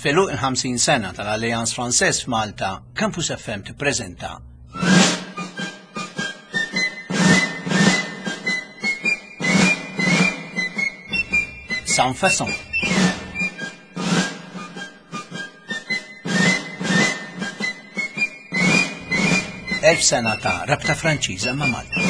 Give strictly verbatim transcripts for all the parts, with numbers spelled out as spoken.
F'għeluq il-ħamsin sena tal-Alliance Française f'Malta, Campus F M tippreżenta Sans Façon. Elf sena ta' rabta Franċiża ma' Malta.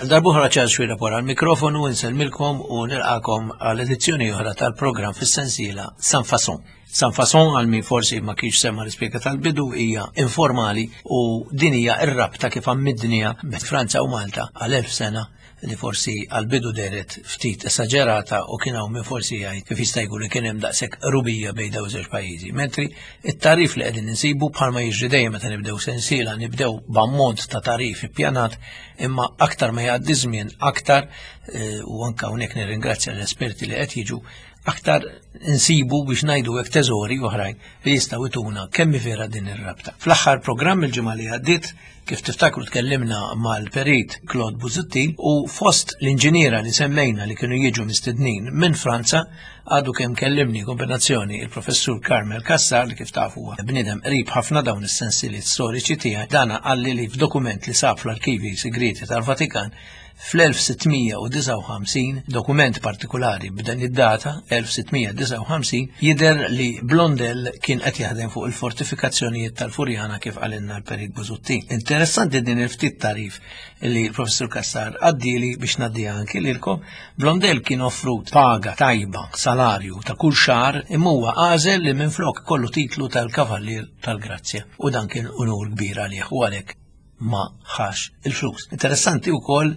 Darbuħra Charles Xuereb wara l-mikrofonu, insellmilkom u nilqakom għal edizzjoni oħra tal-programm fis-sensiela Sans Façon. Sans Façon, għal min forsi ma kienx sema l-ispjega tal-bidu, hija informali u din hija r-rabta kif għammidnija bejn Franza u Malta għal elf sena li forsi għal-bidu deret ftit esaġerata u kien hawn min forsi jgħid kif jista' jkun li kien hemm daqshekk rubija bejn dawn iż-żewġ pajjiżi. Mentri it-tarif li qegħdin insibu bħalma jiġri dejjem meta nibdew sensiela nibdew b'ammont ta' tarif ippjanat, imma aktar ma jgħaddi żmien aktar, eh, u anke hawnhekk nirringrazzja l-esperti li qed jiġu, aktar insibu biex ngħidu hekk teżori oħrajn li jistgħu jtuna kemm vera din ir-rabta. Fl-aħħar programm il-ġimgħa li għaddiet, kif tiftakru tkellimna mal-perit Claude Busuttil u fost l-inġiniera li semmejna li kienu jiġu mistednin minn Franza, għadu kemm kellimni kombinazzjoni il-professur Carmel Cassar li kif tafu huwa bniedem qrib ħafna dawn is-sensiliet storiċi tiegħi, dana qalli li f'dokument li sab fl-arkivi segreti tal-Vatikan fl-elf sittmija u disgħa u ħamsin, dokument partikolari b'dan id-data, elf sittmija disgħa u ħamsin, jidher li Blondel kien qed jaħdem fuq il-fortifikazzjonijiet tal-Furjana kif qalilna l-Perit Busuttil. Interessanti din il-ftit tarif li l-professur Cassar għaddili biex ngħaddiha anki lilkom. Blondel kien offrut paga tajba, salarju ta' kull xahar, imma huwa għażel li minflok kollu titlu tal-Kavallier tal-Grazzja u dan kien unur kbir għalih u għalhekk ma ħax il-flus. Interessanti wkoll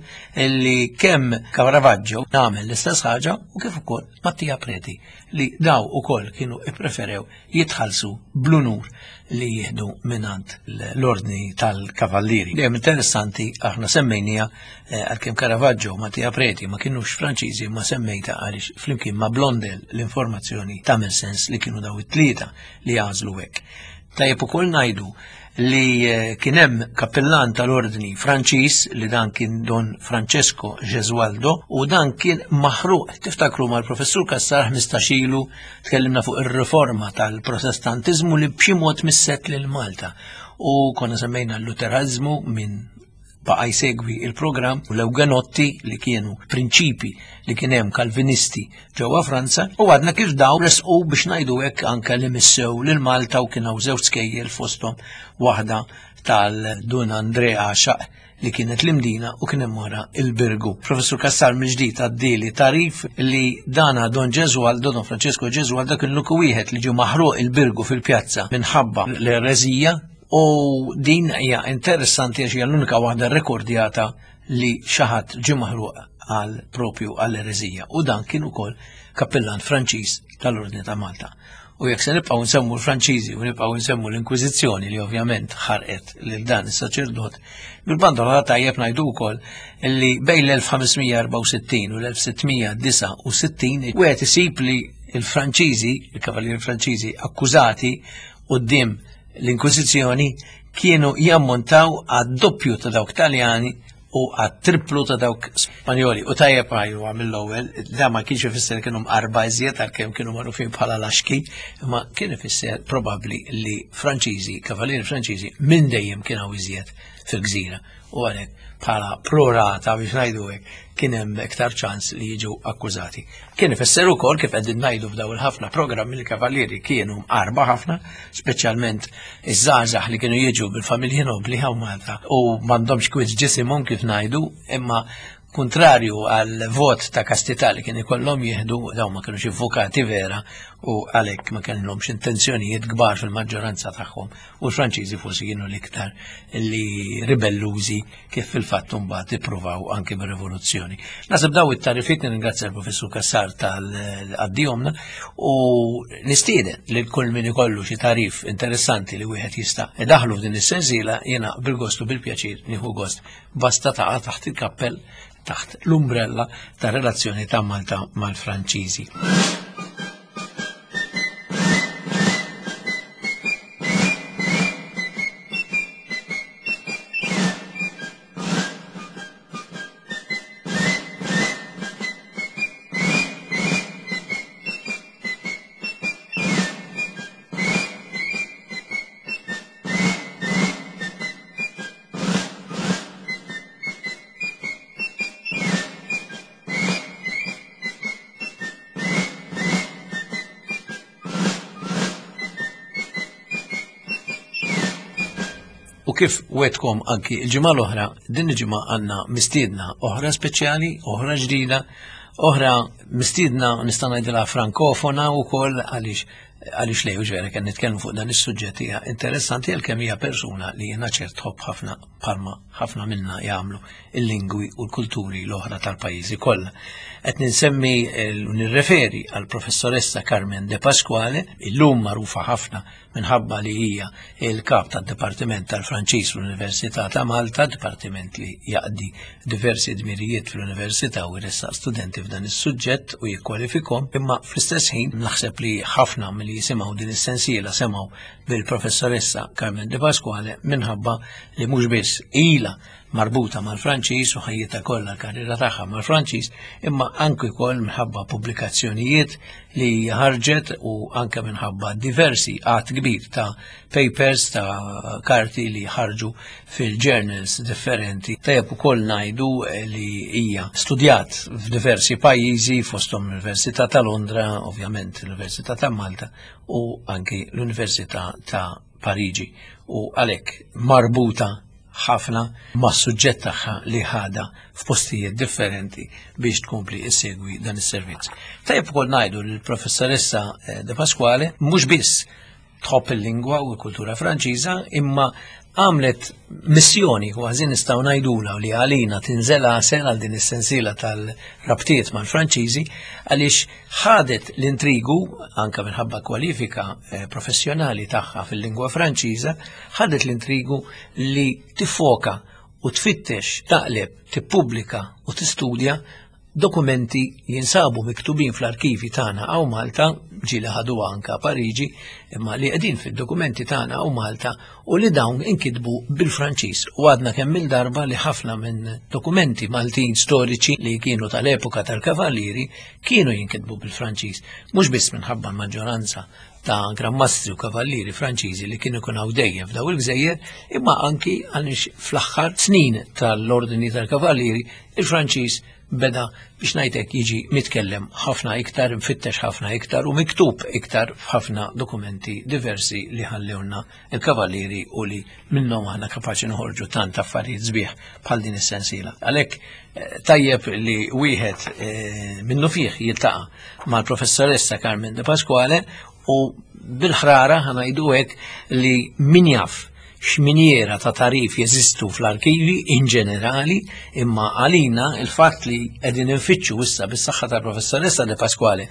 li kemm Caravaggio għamel l-istess ħaġa u kif ukoll Mattia Preti li daw ukoll kienu ippreferew jitħallsu bl-unur li jieħdu minant l-ordni tal-kavallieri. Dejjem interessanti aħna semmejnija, eh, għalkemm Caravaggio u Mattia Preti ma kienux Franċiżi, ma semmejta għaliex flimkien ma' Blondel l-informazzjoni tagħmel sens li kienu daw it-tlieta li għażlu hekk. Tajjeb ukoll ngħidu li, eh, kien hemm kappellan tal-ordni Franċiż li dan kien Don Francesco Gesualdo u dan kien maħruq. Tiftakru mal-professur Cassar ħmistax ilu tkellimna fuq ir-riforma tal-Protestantiżmu li b'xi mod misset lil Malta u konna semmejna l-Luterizmu minn baqa' jsegwi il-programm u l-Ewgenotti li kienu prinċipi li kien hemm Kalvinisti ġewwa Franza u għadna kif daw resqu biex ngħidu hekk anke li missew lil Malta u kien hawn żewġ skejjel fosthom waħda tal-Dun Andrea Xaq li kienet l-Imdina u kien hemm wara il-Birgu. Professur Cassar mill-ġdid għaddili tarif li dana Don Gesualdo, Don Francesco Gesualdo kien l-uniku wieħed li ġie maħruq il-Birgu fil-pjazza minħabba l-ereżija u din hija interessanti għax hija l-unika waħda rekordjata li xi ħadd ġie maħruq għal propju għall-ereżija u dan kien ukoll kappellan Franċiż tal-Ordni ta' Malta. U jekk se nibqgħu nsemmu l-Franċiżi u nibqgħu nsemmu l-Inkwiżizzjoni li ovvjament ħarqet lil dan is-saċerdot, bil-banda l-oħra tajjeb ngħidu wkoll li bejn l-elf ħamesmija erbgħa u sittin u l-elf sittmija disgħa u sittin wieħed isib li l-Franċiżi, il-Kavallieri Franċiżi akkużati quddiem l-Inkwiżizzjoni kienu jammontaw għad-doppju ta' dawk Taljani u għat-triplu ta' dawk Spanjoli. U tajjeb għajju mill-ewwel, da ma kienx ifisser kienu mqarba iżjed għalkemm kienu magħrufin bħala laxki, imma kien ifisser probabbli li Franċiżi, Kavallieri Franċiżi minn dejjem kienu iżjed fil-gżira. U għalhekk bħala prorata biex ngħidu hekk kien hemm iktar ċans li jiġu akkużati. Kien ifisser ukoll kif qegħdin ngħidu f'daw il-ħafna programmi li kavallieri kienu mqarba ħafna, speċjalment iż-żgħażagħ li kienu jiġu bil-familji nobli hawn Malta u m'għandhomx kwiet ġisimhom kif ngħidu, imma kontrarju għal vot ta' kastità li kien ikollhom jieħdu, dawn ma kinux avukati vera u għalhekk ma kellhomx intenzjonijiet kbar fil-maġġoranza tagħhom u l-Franċiżi forsi kienu l-iktar li ribellużi kif fil-fatt imbagħad ippruvaw anke bir-rivoluzzjoni. Nasib daw it-tarifiet nirringrazzja l-Professur Cassar tal-għaddihomna u nistieden lil kull min ikollu xi tarif interessanti li wieħed jista' idaħlu f'din is-sensiela, jiena bil-gost u bil-pjaċir nieħu gost basta taqa' taħt il-kappell taħt l-umbrella ta' relazzjoni ta' Malta mal-Franċiżi. U kif wetkom anki il-ġimgħa l-oħra, din il-ġimgħa għandna mistiedna oħra speċjali, oħra ġdida, oħra mistiedna nista' ngħidilha frankofona wkoll għaliex għaliex lej ġvera kien nitkellmu fuq dan is-suġġett hija interessanti għalkemm hija persuna li jiena ċert tħobb ħafna bħalma ħafna minna jagħmlu il-lingwi u l-kulturi l-oħra tal-pajjiżi kollha. Qed ninsemmi u nirreferi għall professoressa Carmen De Pasquale, illum magħrufa ħafna minħabba li hija il-kap tad-Dipartiment tal-Franċiż fl-Università ta' Malta, dipartiment li jaqdi diversi dmirijiet fl-Università u jressaq studenti f'dan is-suġġett u jikkwalifikhom, imma fl-istess ħin naħseb li ħafna milli jisimgħu din is-sensiela semgħu bil-professoressa Carmen De Pasquale minħabba li mhux biss ilha marbuta mal-Franċiż u ħajjitha kollha l-karriera tagħha mal-Franċiż, imma anke wkoll minħabba pubblikazzjonijiet li ħarġet u anke minħabba diversi għadd kbir ta' papers, ta' karti li ħarġu fil-journals differenti. Tajjeb ukoll ngħidu li hija studjat f'diversi pajjiżi fosthom l-Università ta' Londra, ovvjament l-Università ta' Malta u anke l-Università ta' Pariġi, u għalhekk marbuta ħafna ma' suġġett tagħha li ħada f'postijiet differenti biex tkompli issegwi dan is-servizz. Tajjeb ukoll ngħidu li l-professoressa De Pasquale mhux biss tħobb il-lingwa u l-kultura Franċiża, imma għamlet missjoni kważi nistgħu ngħidulha li għalina tinżel għasel għal din is-sensiela tal-rabtiet mal-Franċiżi, għaliex ħadet l-intrigu anke minħabba kwalifika professjonali tagħha fil-lingwa Franċiża, ħadet l-intrigu li tifoka u tfittex, taqleb, tippubblika u tistudja dokumenti jinsabu miktubin fl-arkivi tagħna hawn Malta, ġieli ħaduha anke Pariġi, imma li qegħdin fid-dokumenti tagħna hawn Malta u li dawn inkitbu bil-Franċiż. U għadna kemm il-darba li ħafna minn dokumenti Maltin storiċi li kienu tal-epoka tal-Kavallieri kienu jinkitbu bil-Franċiż, mhux biss minħabba l-maġġoranza ta' grammastri u kavallieri Franċiżi li kienu jkunu hawn dejjem f'daw il-gżejjer, imma anki għaliex fl-aħħar snin tal-ordni tal-Kavallieri il-Franċiż beda biex ngħidlek jiġi mitkellem ħafna iktar, mfittex ħafna iktar u miktub iktar f'ħafna dokumenti diversi li ħallewna il-kavallieri u li minnhom aħna kapaċi noħorġu tant affarijiet sbieħ bħal din is-sensiela. Għalhekk tajjeb li wieħed minnu fih jiltaqa' mal-professoressa Carmen De Pasquale u bil-ħrara ħanajdu hekk li min jaf x'minjera ta' tarif jeżistu fl-arkivi in ġenerali, imma għalina il-fatt li qegħdin infittxu issa bis-saħħa tal-professoressa De Pasquale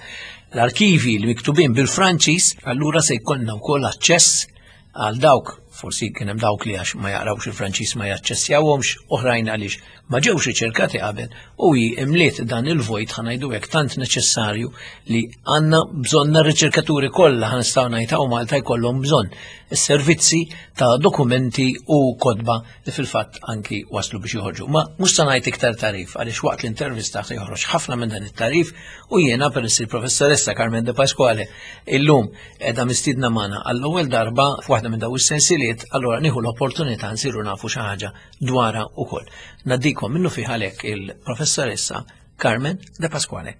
l-arkivi li miktubin bil-Franċiż, allura se jkollna wkoll aċċess għal dawk, forsi kien hemm dawk li għax ma jaqrawx il-Franċiż ma jaċċessjawhomx, oħrajn għaliex ma ġewx riċerkati qabel, u hi imliet dan il-vojt ħanajdu hekk tant neċessarju li għandna bżonna r-riċerkaturi kollha ħa nistgħu ngħid hawn Malta jkollhom bżonn is-servizzi ta' dokumenti u kotba li fil-fatt anki waslu biex joħorġu. Ma mhux se ngħid iktar tarif għaliex waqt l-intervista se joħroġ ħafna minn dan it-tarif u jiena peress il-professoressa Carmen De Pasquale illum qiegħda mistiedna magħna għall-ewwel darba f'waħda minn dawn is-sensiliet, allura nieħu l-opportunità nsiru nafu xi ħaġa dwarha wkoll. Naddikom minnu fih għalhekk il-professoressa Carmen De Pasquale.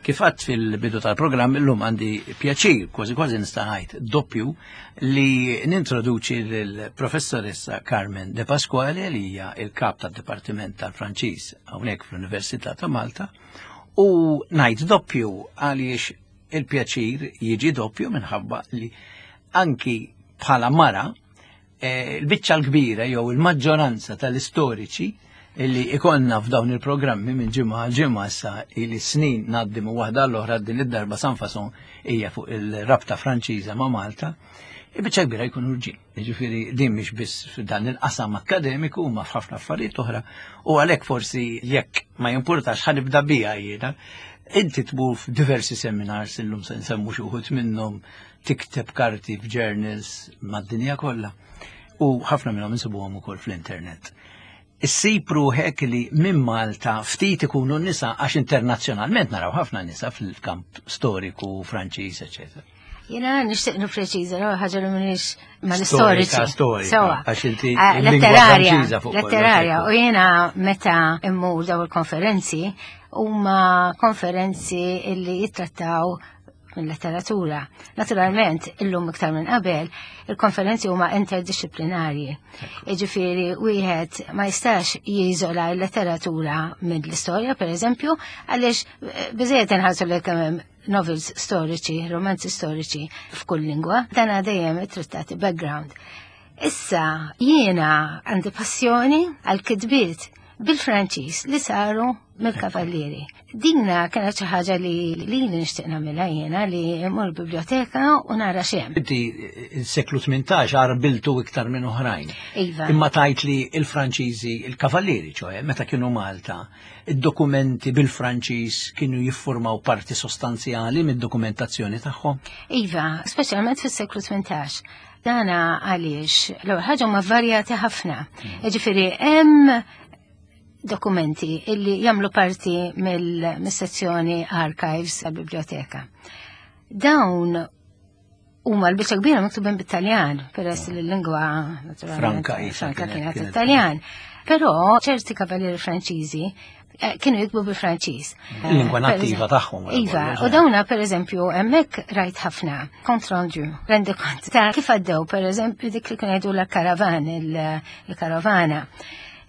Kif għedt fil-bidu tal-programm illum għandi pjaċir, kważi kważi nista' ngħid doppju, li nintroduċi lill-professoressa Carmen De Pasquale, li hija il-kap tad-Dipartiment tal-Franċiż hawnhekk fl-Università ta' Malta, u ngħid doppju għaliex il-pjaċir jiġi doppju minħabba li anki bħala mara eh, il-biċċa l-kbira jew il-maġġoranza tal-istoriċi illi ikollna f'dawn il-programmi minn ġimgħa għal ġimgħa issa ili snin ngħaddi minn waħda l-oħra, din id-darba sans façon hija fuq il-rabta Franċiża ma' Malta, il-biċċa kbira jkunu rġiel. Jiġifieri din mhix biss f'dan il-qasam akkademiku, ma f'ħafna affarijiet oħra, u għalhekk forsi, jekk ma jimpurtax, ħa nibda bija jiena. Inti tmur f'diversi seminars, illum se nsemmu xi wħud minnhom, tikteb karti f'journals mad-dinja kollha u ħafna minnhom insibuhom ukoll fl-internet. Issib ruħek li minn Malta ftit ikunu nisa, għax internazzjonalment naraw ħafna nisa fil-kamp storiku Franċiż, eċetera. Jiena nixtieq nippreċiża l ħaġa li m'iniex mal-istoriċi. Storika, Sewa. Għax inti Ah, il-lingwa letterarja, Franċiża fuq kollox, letterarja. Ekku. U jiena meta immur daw il-konferenzi, huma konferenzi illi jittrattaw minn letteratura. Naturalment, illum iktar minn qabel, il-konferenzi huma interdisciplinarji. Jiġifieri wieħed ma jistax jiżola l-letteratura minn l-istorja, per eżempju, għaliex eh, biżejjed inħarsu li kemm novels storiċi, romanzi storiċi f'kull lingwa, dan dejjem ittrattati background. Issa jiena għandi passjoni għal kitbiet bil-Franċiż li saru mill-kavallieri. Dinna kienet xi ħaġa li li nixtieq nagħmilha jiena, li mmur biblioteka u nara x'hemm. Inti il-seklu tmintax għarbiltu iktar minn oħrajn. Iva. Imma tajt li il-Franċiżi, il-kavallieri, ċoè, meta kienu Malta, id-dokumenti bil-Franċiż kienu jiffurmaw parti sostanzjali mid-dokumentazzjoni tagħhom. Iva, speċjalment fis-seklu tmintax. Dana għaliex l-ewwel ħaġa huma varjati ħafna. Jiġifieri hemm dokumenti illi jagħmlu parti mill-sezzjoni archives tal-biblioteka. Dawn huma l-biċċa kbira miktubin bit-Taljan, peress li l-lingwa naturalment Franka isa Franka kienet- kienet kienet- Italjan. Però ċerti kavallieri Franċiżi eh, kienu jiktbu bil-Franċiż. Il-lingwa Eh, per nattiva eżempju- tagħhom, wara Iva, kollox, u eh. dawna per eżempju hemmhekk rajt ħafna compte rendu, rendikont ta' kif għaddew, per eżempju, dik li kienu jgħidu la karavan, il-karavana.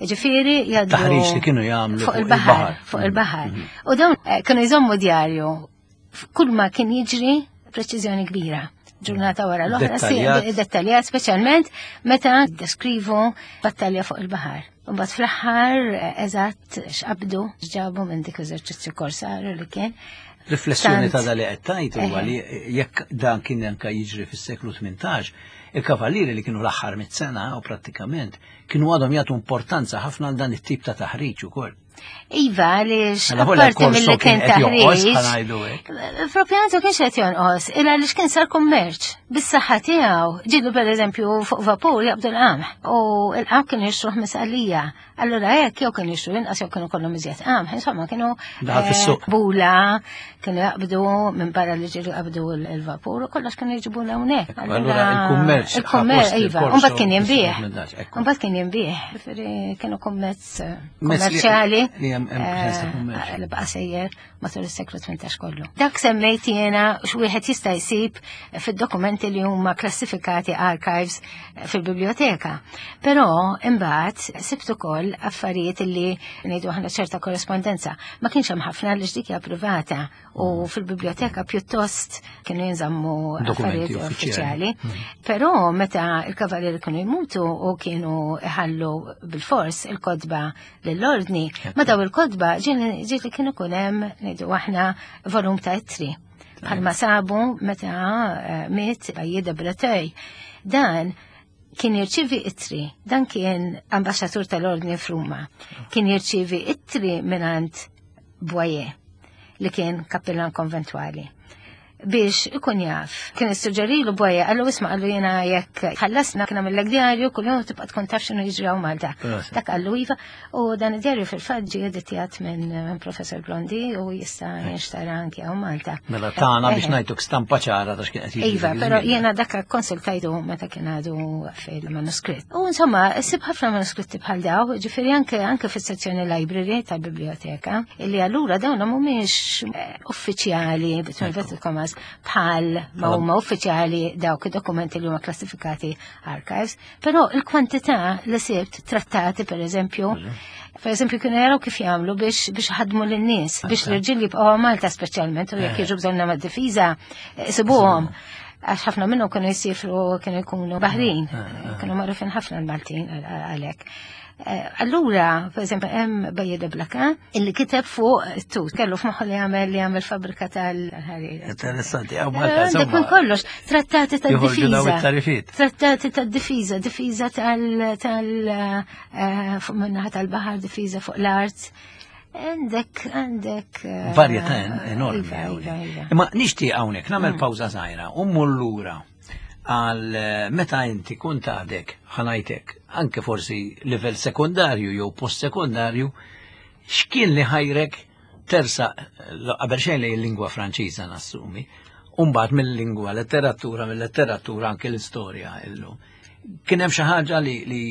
Ġifieri jgħaddu Taħriġ li kienu jagħmlu fuq il-baħar, fuq Mm. il-baħar. U dawn eh, kienu jżommu djarju kull ma kien jiġri, preċiżjoni kbira. Ġurnata wara l-oħra, si- Dettaljat. dettaljat, speċjalment meta deskrivu battalja fuq il-baħar. Mbagħad fl-aħħar eh, eżatt x'qabdu, x'ġabu minn dik eżerċizzju korsaru li kien. Riflessjoni Tant- ta' dali qed tajt huwa Eħe. li jekk dan kien anka jiġri fis-seklu tmintax, il-kavallieri li kienu l-aħħar mit-sena u prattikament kienu għadhom jagħtu importanza ħafna għal dan it-tip ta' taħriġ ukoll. Iva, għaliex Mela volja apparti l-korso mill-li kien kien qed jonqos, taħriġ. ħa ngħidu hekk. Propjantu kienx qed jonqos, illa għaliex kien sar kummerċ. Bis-saħħa tiegħu, ġilu per eżempju fuq vapur jaqbdu l-qamħ u l-qamħ kienu jixtruh misqalija. Allura hekk jew kienu jixtru inqas jew kienu kollhom iżjed qamħ, insomma kienu Daħal eh, fis-suq. bula, kienu jaqbdu minn barra li ġilu jaqbdu l-vapur u kollox kienu jġibu hawnhekk. Allura il-kummerċ il-kummerċ, ħa post iva, il-korso u mbagħad kien jinbiegħ. fis-tmintax, ekku. Mbagħad kien jinbiegħ, ġifieri kienu kummerċ eh, Mezz li- kummerċjali. li hemm hemm preżenza eh, kummerċ. Li baqa' sejjer matul is-seklu tmintax kollu. Dak semmejt jiena x'wieħed jista' jsib fid-dokumenti li huma klassifikati archives fil-biblioteka. Però imbagħad sibt ukoll affarijiet li ngħidu aħna ċerta korrespondenza. Ma kienx hemm ħafna li dik hija privata u fil-biblioteka pjuttost kienu jinżammu Dokumenti affarijiet uffiċjali. uffiċjali. Però meta il-kavallieri kienu jmutu u kienu ħallu bil-fors il-kotba lill-ordni, ma daw il-kotba ġieli ġieli kienu kunem ngħidu aħna volum ta' ittri. Bħalma sabu meta eh, miet Bailly de Breteuil. Dan kien jirċivi ittri, dan kien ambaxxatur tal-ordni f'Ruma. Kien jirċivi ittri mingħand Boyer, li kien kappillan konventwali. Biex ikun jaf. Kien issuġġerilu Boyer, qallu isma', qallu jiena jekk ħallasna kien għamillek djarju kuljum tibqa' tkun taf x'inhu jiġri hawn Malta. Dak qallu iva, u dan id-djarju fil-fatt ġie editjat minn minn Professor Blondi u jista' jinxtara anke hawn Malta. Mela tana biex ngħiduk stampa ċara ta' x'kien qed jiġri. Iva, però jiena dak konsultajtu meta kien għadu fil-manuskritt. U insomma, ssib ħafna manuskritti bħal daw, ġifieri anke anke fis-sezzjoni library tal-biblioteka, illi allura dawn mhumiex eh, uffiċjali, between inverted commas, bħal ma huma uffiċjali dawk id-dokumenti li huma klassifikati archives, però il-kwantità li sibt, trattati per eżempju, per eżempju kienu jaraw kif jagħmlu biex biex ħadmu lin-nies, biex l-irġiel jibqgħu Malta speċjalment u jekk jiġu bżonna mad-difiża isibuhom. Għax ħafna minnhom kienu jsifru, kienu jkunu baħrin, kienu magħrufin ħafna l-Maltin għalhekk. Eh, Allura, per eżempju, hemm Baillet de Blacas illi kiteb fuq tut, kellu f'moħħu li jagħmel li jagħmel fabbrika tal-ħarir. Interessanti, hawn Malta. Għandek minn kollox, trattati Joħorġu daw tad-difiża. it-tarifiet. Trattati tad-difiża, difiża tal tal eh, fuq min-naħa tal-baħar, difiża fuq l-art. Għandek, għandek. eh, Varjetà enormi. Iva, iva, iva. Imma nixtieq hawnhekk nagħmel pawża żgħira u mmur lura għal eh, meta inti kont għadek ħa ngħidlek anke forsi livell sekundarju jew post-sekundarju, x'kien li ħajrek tersa qabel xejn lejn il-lingwa Franċiża nassumi, u mbagħad mill-lingwa, letteratura, mill-letteratura anke l-istorja illum? Kien hemm xi ħaġa li, li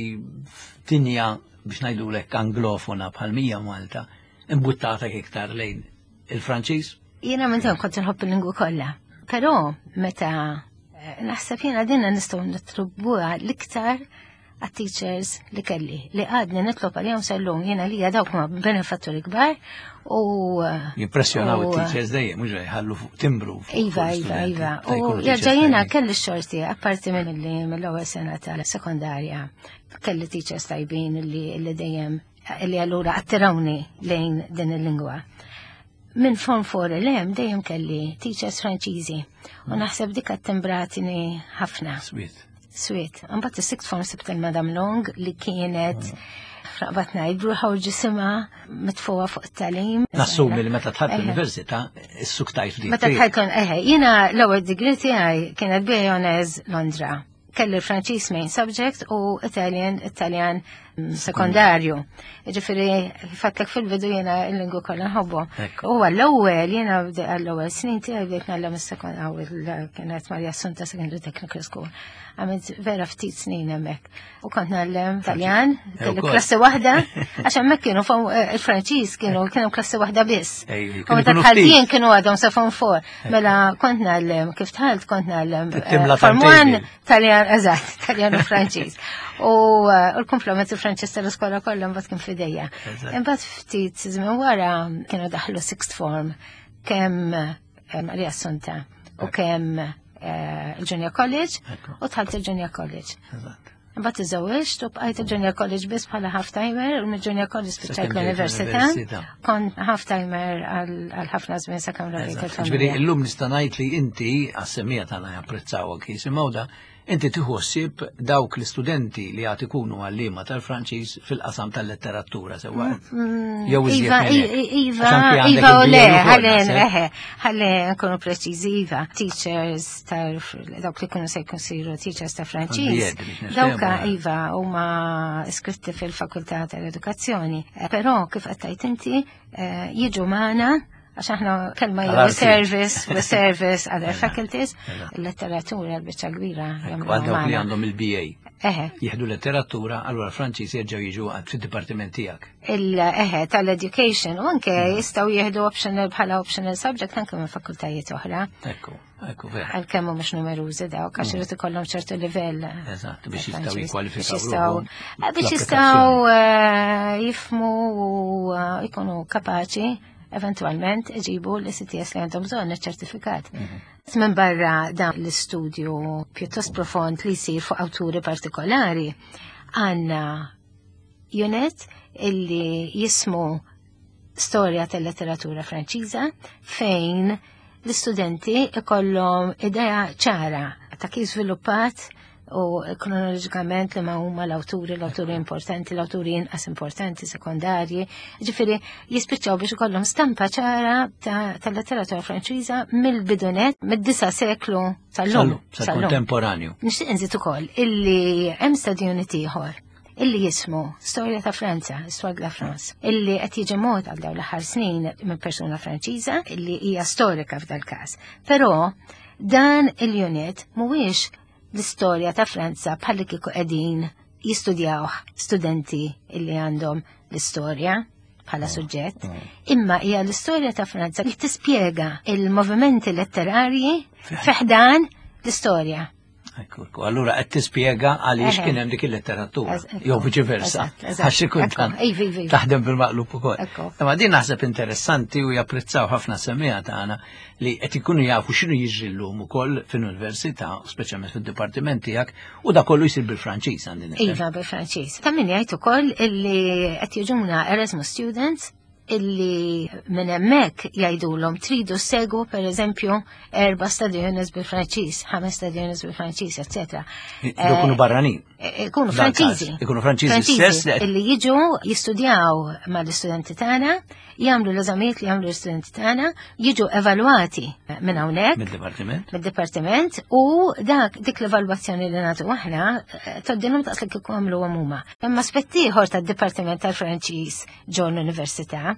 f'dinja biex ngħidulek anglofona bħal mija Malta imbuttatak iktar lejn il-Franċiż? Jiena minn dejjem kont nħobb il-lingwi kollha. Però meta eh, naħseb jiena dinna nistgħu nittribuha l-iktar għat-teachers li kelli, li għadni nitlob għalihom sal-lum, jiena li dawk ma benefatturi kbar u eh, Jimpressjonaw u, it-teachers dejjem, mhux jħallu fuq timbru fuq Iva, fuq iva, l-istudenti. iva. Ta' U jkunu jerġa' teachers jiena tajbin. kelli xorti, apparti minn li mill-ewwel sena tal-sekondarja, kelli teachers tajbin li li dejjem li allura attirawni lejn din il-lingwa. Minn Form Four 'l hemm dejjem kelli teachers Franċiżi u naħseb dik attimbratni ħafna. Sweet. Sweet. Mbagħad is-sixth form sibt il-Madam Long li kienet fraqbat ngħid bruħa u ġisimha mitfuha fuq it-tagħlim. Nassumi li meta dħalt Eħe. l-università, is-suktajt f'dik. Meta dħalt, eħe, jiena l-ewwel degree tiegħi kienet B A Honours Londra. Kelli l-Franċiż main subject u Italian, Italjan mm, sekondarju. Ġifieri, għedtlek fil-bidu jiena il-lingwi kollha nħobbu. Ekku. U għall-ewwel jiena bde- għall-ewwel snin tiegħi bdejt ngħallem is-sekond kienet Maria Assunta Secondary Technical School. Għamilt vera ftit snin hemmhekk. U kont ngħallem Taljan, kelli ukoll. klassi waħda, għax hemmhekk kienu form- eh, il-Franċiż kienu kienu klassi waħda biss. Ej, U kienu meta jkunu dħalt ftit. jien kienu għadhom sa form four. Mela kont ngħallem, kif dħalt kont ngħallem eh, Timla form one timetable. Taljan, eżatt, Taljan u Franċiż. U eh, u l-komplement il-Franċiż tal-iskola kollha mbagħad kien f'idejja. Eżatt. Imbagħad ftit żmien wara kienu daħlu sixth form kemm eh, Maria Assunta u kemm eh, il-Junior College Ekku. u dħalt il-Junior College. Eżatt. Imbagħad iżżewwiġt u bqajt il-Junior College biss bħala half-timer u mill-Junior College spiċċajt Sakemm ġejt l-Università. l-università. Kont half-timer għal għal ħafna żmien sakemm rabejt Eżatt. Ġifieri il-familja. illum nista' ngħid li inti għas-semmiegħa tagħna japprezzawha jisimgħu da, inti tieħu ħsieb dawk l-istudenti li għad ikunu għalliema tal-Franċiż fil-qasam tal-letteratura sewwa. Jew iżjed Iva, minn hekk. i- Iva, Għax anki għandek Iva u le, il-B A ukoll, ħalli, naħseb. eħe, ħalli nkunu preċiżi, Iva. Teachers tal dawk li kienu se jkun siru teachers ta' Franċiż. Għal-B Ed biex niftehmu, Dawka, eh. Iva, huma iskritti fil-Fakultà tal-Edukazzjoni. Eh, Però, kif qed inti, eh, jiġu magħna għax aħna kelma jew Għal-arti. service, we service other faculties, Eżatt. il-letteratura l-biċċa kbira Ekku, għal dawk li jagħmluha magħna. għandhom il-B A. Eħe, Jieħdu letteratura, allura Franċiż jerġgħu jiġu għad fid-dipartiment tiegħek. il-eħe tal-education u anke jistgħu jieħdu optional bħala optional subject anke minn fakultajiet oħra. Ekku, ekku, vera. Għalkemm mhux numerużi dawk għax irid ikollhom ċertu livell. Eżatt, biex ta' jistgħu Franċiż. jikkwalifikaw Biex jistgħu ruħhom eh, biex fl-applikazzjoni. jistgħu eh, jifhmu u eh, jkunu kapaċi eventualment iġibu l-E C T S li għandhom bżonn iċ-ċertifikat. Mhm. Minn barra dan l-istudju pjuttost profond li jsir fuq awturi partikolari, għandna unit illi jismu storja tal-letteratura Franċiża fejn l-istudenti ikollhom idea ċara ta' kif żviluppat u kronoloġikament li ma huma l-awturi, l-awturi importanti, l-awturi inqas importanti, sekondarji. Ġifieri jispiċċaw biex ikollhom stampa ċara tal-letteratura Franċiża mill-bidunet, mid-disa' seklu sal-lum. Sal-kontemporanju. Nixtieq inżid ukoll illi hemm study unit ieħor illi jismu Storja ta' Franza, Histoire de la France, illi qed jiġi mod għal dawn l-aħħar snin minn persuna Franċiża illi hija storika f'dal każ. Però dan il-unit mhuwiex l-istorja ta' Franza bħalli kieku qegħdin jistudjawh studenti illi għandhom l-istorja bħala suġġett, imma hija l-istorja ta' Franza li tispjega il-movimenti letterarji fi ħdan l-istorja. Ekku, allura qed tispjega għaliex kien hemm dik il-letteratura, jew viċi versa, għax xi kultant taħdem bil-maqlub ukoll. Imma din naħseb interessanti u japprezzaw ħafna semmiegħa tagħna li qed ikunu jafu x'inhu jiġri llum ukoll fil-università, speċjalment fid-dipartiment tiegħek, u da kollu jsir bil-Franċiż għandi nifhem. Iva, bil-Franċiż. Ta' min jgħid ukoll illi qed jiġuna Erasmus students illi minn hemmhekk jgħidulhom tridu segwu pereżempju erba' study units bil-Franċiż, ħames study units bil-Franċiż, eċetera. Ikunu barranin. Ikunu Franċiżi. Ikunu Franċiżi stess. Illi jiġu jistudjaw mal-istudenti tagħna, jagħmlu l-eżamijiet li jagħmlu l-istudenti tagħna, jiġu evalwati minn hawnhekk. Mid-dipartiment. Mid-dipartiment u dak dik l-evalwazzjoni li nagħtu aħna tgħoddilhom daqs li kieku għamluhom huma. Imma aspett ieħor tad-Dipartiment tal-Franċiż ġo l-Università,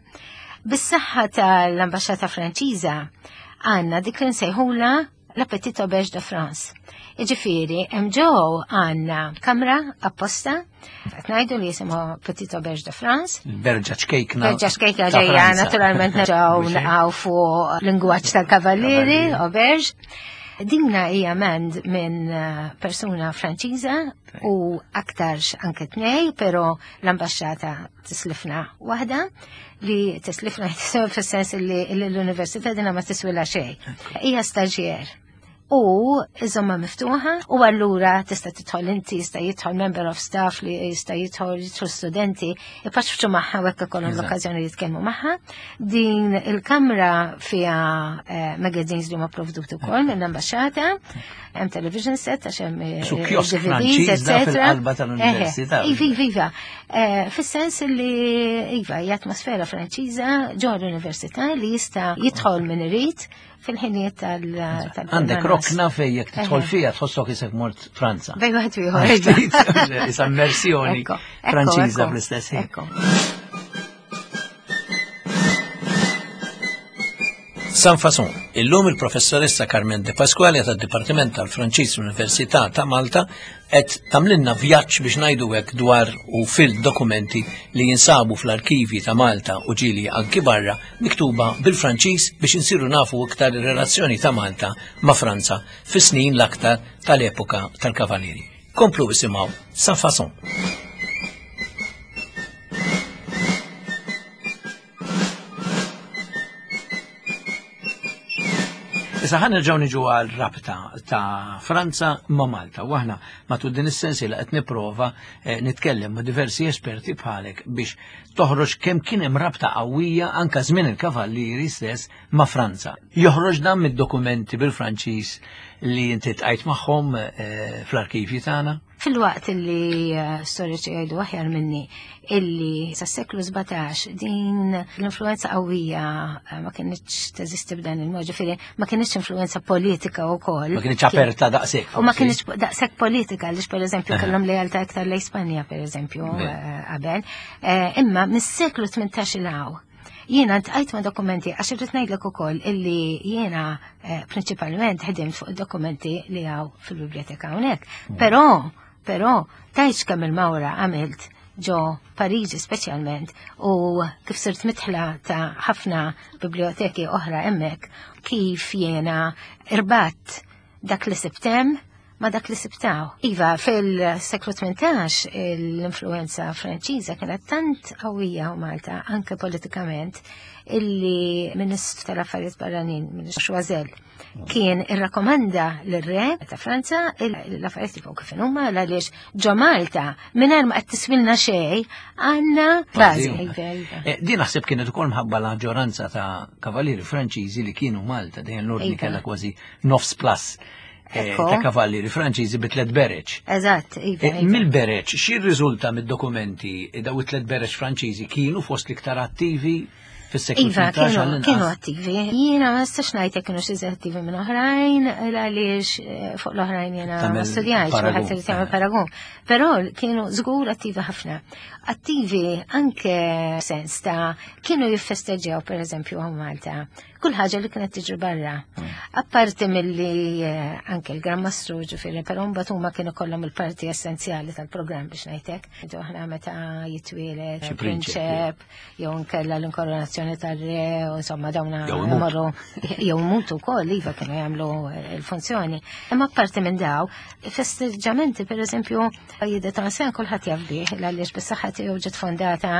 bis-saħħa tal-Ambaxxata Franċiża għandna dik li nsejħula la Petite Auberge de France. Jiġifieri, hemm ġew għandna kamra apposta, qed ngħidu li jisimha Petite Auberge de France. Berġa ċkejkna. Berġa ċkejkna ġejja, naturalment nerġgħu naqgħu fuq lingwaġġ tal-kavallieri, auberge. Dinna hija mand minn persuna Franċiża u aktarx anke tnej, però l-ambaxxata tislifna waħda li tislifna fis-sens li l-università dinha ma tiswilha xejn. Hija staġjer u iżomma miftuħa u allura tista' tidħol inti, jista' jidħol member of staff li jista' jidħol jidħol studenti, ipaċċu magħha u hekk ikollhom l-okkażjoni li jitkellmu magħha. Din il-kamra fiha magazines li huma provduti wkoll mill-ambaxxata, hemm television set għax hemm D V Ds, eċetera. Fil-qalba tal-università. Iva, iva, iva. Fis-sens li iva hija atmosfera Franċiża ġo l-università li jista' jidħol min irid fil-ħinijiet tal Għandek rokna fej jekk tidħol fiha tħossok isek mort Franza. Bejn wieħed u ieħor. Isa immersjoni Franċiża fl-istess ħin. Sans Façon, illum il-professoressa Carmen De Pasquale tad-Dipartiment tal-Franċiż l-Università ta' Malta qed tagħmlilna vjaġġ biex ngħidu hekk dwar u fil-dokumenti li jinsabu fl-arkivji ta' Malta u ġieli anki barra miktuba bil-Franċiż biex insiru nafu iktar ir-relazzjoni ta' Malta ma' Franza fis-snin l-aktar tal-epoka tal-Kavallieri. Komplu isimgħu Sans Façon. Issa ħa nerġgħu niġu għal rabta ta' Franza ma' Malta. U aħna matul din is-sensiela qed nipprova nitkellem ma' diversi esperti bħalek biex toħroġ kemm kien hemm rabta qawwija anke żmien il-Kavallieri stess ma' Franza. Joħroġ dan mid-dokumenti bil-Franċiż li inti tqajt magħhom fl-arkivji tagħna. Fil-waqt li storiċi jgħidu aħjar minni illi sas-seklu sbatax din l-influenza qawwija ma kinitx teżisti b'dan il-mod, ġifieri ma kinitx influenza politika wkoll. Ma kinitx aperta daqshekk. U ma kinitx daqshekk politika għaliex pereżempju kellhom lealtà iktar lejn Spanja pereżempju qabel. Imma mis-seklu tmintax il hawn jiena ntqajt ma' dokumenti għax irrid ngħidlek ukoll illi jiena prinċipalment ħedimt fuq id-dokumenti li hawn fil-biblioteka hawnhekk. Però Però tajx kemm il-mawra għamilt ġo Pariġi speċjalment u kif sirt mitħla ta' ħafna biblioteki oħra hemmhekk kif jiena irbat dak li sibtem ma dak li sibtaw. Iva, fil-seklu tmintax l-influenza Franċiża kienet tant qawwija u Malta anke politikament illi Ministru tal-Affarijiet Barranin, Ministru Choiseul, kien irrakkomanda lir-re ta' Franza l-affarijiet jibqgħu kif huma għaliex ġo Malta mingħajr ma qed tiswilna xejn għandna bażi. Din naħseb kienet ukoll mħabba l-aġġoranza ta' kavallieri Franċiżi li kienu Malta, dejjem l-ordni kellha kważi nofs plus eh, ta' kavallieri Franċiżi bi tliet bereġ. Eżatt, iva. Eh, iva. Mill-bereġ, xi rriżulta mid-dokumenti daw it-tliet bereġ Franċiżi kienu fost l-iktar attivi fis-seklu Iva, tmintax kienu, għall-inqas? kienu attivi. Jiena ma nistax ngħid jekk kienu xi attivi minn oħrajn, għaliex eh, fuq l-oħrajn jiena ma Tagħmel studjajtx, paragun. wieħed irid jagħmel paragun. Però kienu żgur attivi ħafna. Attivi anke sens ta' kienu jiffesteġġjaw pereżempju hawn Malta. Kull ħaġa li kienet tiġri barra. Mm. Apparti milli eh, anke l-Gran Mastru ġifieri, però mbagħad huma kienu kollhom il-parti essenzjali tal-programm biex ngħidlek. Aħna meta jitwieled Xi prinċep, prinċep, jew nkella l-inkoronazzjoni tar-re, u insomma dawna Jew imutu. imorru jew imutu wkoll iva kienu jagħmlu l-funzjoni. Imma apparti minn daw, festeġġamenti pereżempju jidde ta' sen kulħadd jaf bih għaliex bis-saħħa tiegħu ġiet fondata